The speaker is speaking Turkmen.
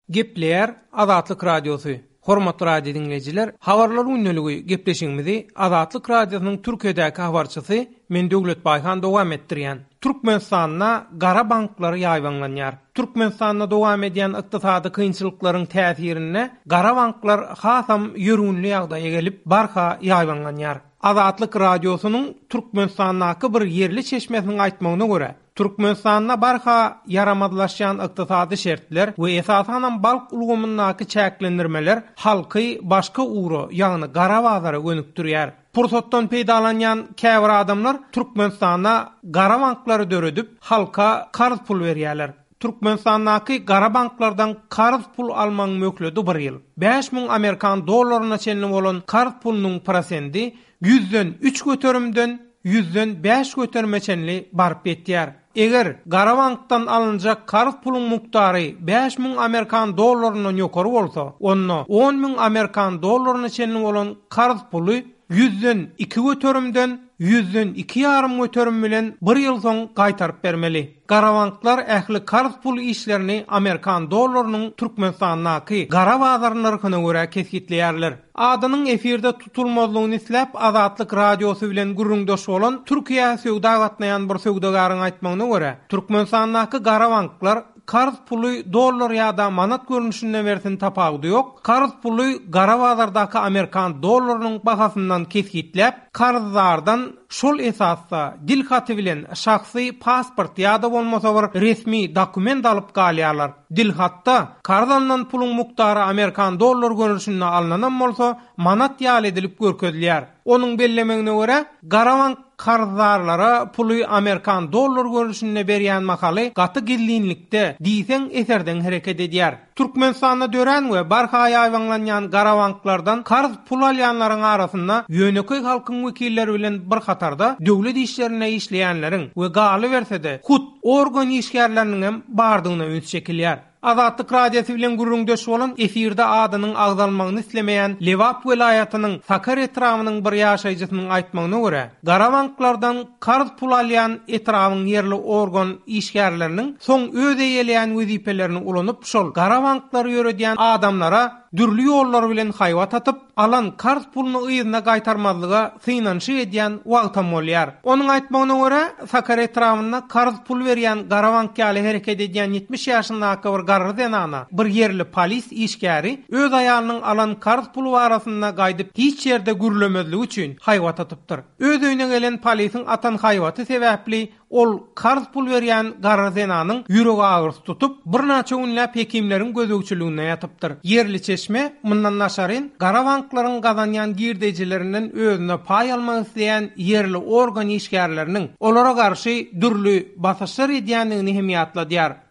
Gepleýär Azatlyk Radiosy, Hormatly radio diňleýjiler, Habarlar gündeligi gepleşigimizi Azatlyk Radiosynyň Türkiýedäki habarçysy men Döwlet Baýhan dowam etdirýän. Türkmenistanda gara banklar ýaýbaňlanýar. Türkmenistanda dowam edýän ykdysady kynçylyklaryň täsirinde gara banklar hasam ýörgünli ýagdaýa gelip, barha ýaýbaňlanýar. Azatlyk Radiosynyň Türkmenistandaky bir ýerli çeşmesiniň aýtmagyna görä, Türkmenistanda barha ýaramazlaşýan ykdysady şertler we esasanam bank ulgamyndaky çäklendirmeler halky başga ugra, ýagny gara bazara gönükdirýär. Pursatdan peýdalanýan käbir adamlar Türkmenistanda gara banklary döredip, halka karz pul berýärler. Türkmenistandaky gara banklardan karz pul almagyň möhleti bir ýyl. 5000 amerikan dollaryna çenli bolan karz pulunyň prosendi ýüzden üç göterimden ýüzden bäş göterime çenli baryp ýetýär. Eger gara bankdan alynjak karz puluň mukdary 5000 amerikan dollaryndan ýokary bolsa, onda 10 müň amerikan dollaryna çenli bolan karz puly ýüzden iki göterimden ýüzden iki ýarym göterim bilen bir ýyl soň gaýtaryp bermeli. Gara banklar ähli karz pul işlerini amerikan dollarynyň Türkmenistandaky gara bazar nyrhyna görä kesgitleýärler. Adynyň efirde tutulmazlygyny isläp Azatlyk Radiosy bilen gürrüňdeş bolan Türkiýä söwda gatnaýan bir söwdagäriň aýtmagyna görä, Türkmenistandaky gara banklar karz puly dollar ýa-da manat görnüşinde bersin tapawudy ýok, karz puly gara bazardaky amerikan dollarynyň bahasyndan kesgitläp, karzdardan Şol esasda dil haty bilen şahsy pasport ýa-da bolmasa bir resmi dokument alyp galýarlar. Dil hatda karz alnan puluň mukdary amerikan dollar görnüşinde alnanam bolsa, manat ýaly edilip görkezilýär. Onuň bellemegine görä, gara bank karzdarlara puly amerikan dollar görnüşinde berýän mahaly gaty gizlinlikde, diýseň eserdeň hereket edýär. Türkmenistanda dörän we barha ýaýbaňlanýan gara banklardan karz pul alýanlaryň arasynda ýönekeý halkyň wekilleri bilen bir hatarda döwlet işlerinde işleýänleriň we galyberse-de, hut organ işgärleriniňem bardygyna üns çekilýär. Azatlyk Radiosy bilen gürrüňdeş bolan efirde adynyň agzalmagyny islemeýän Lebap welaýatynyň Sakar etrabynyň bir ýaşaýjysynyň aýtmagyna görä, gara banklardan karz pul alýan etrabyň ýerli organ işgärleriniň soň öz eýeleýän wezipelerini ulanyp şol gara banklary ýöredýän adamlara dürli ýollar bilen haýbat atyp, alan karz puluny yzyna gaýtarmazlyga synanyşyk edýän wagtam bolýar. Onuň aýtmagyna görä, Sakar etrabynda karz pul berýän gara bank ýaly hereket edýän 70 ýaşyndaky bir garry zenana bir ýerli polis işgäri öz aýalynyň alan karz puly barasynda gaýdyp hiç ýerde gürlemezligi üçin haýbat atypdyr. Öz öýüne gelen polisiň atan haýbaty sebäpli ol karz pul berýän garry zenanyň ýürek agyrysy tutup, birnaçe günläp hekimleriň gözegçiliginde ýatypdyr. Ýerli çeşme, mundan daşaryn, gara banklaryň gazanýan girdejilerinden özüne paý almak isleýän ýerli organ işgärleriniň olara garşy dürli basyşlar edýändigini hem ýatladýar.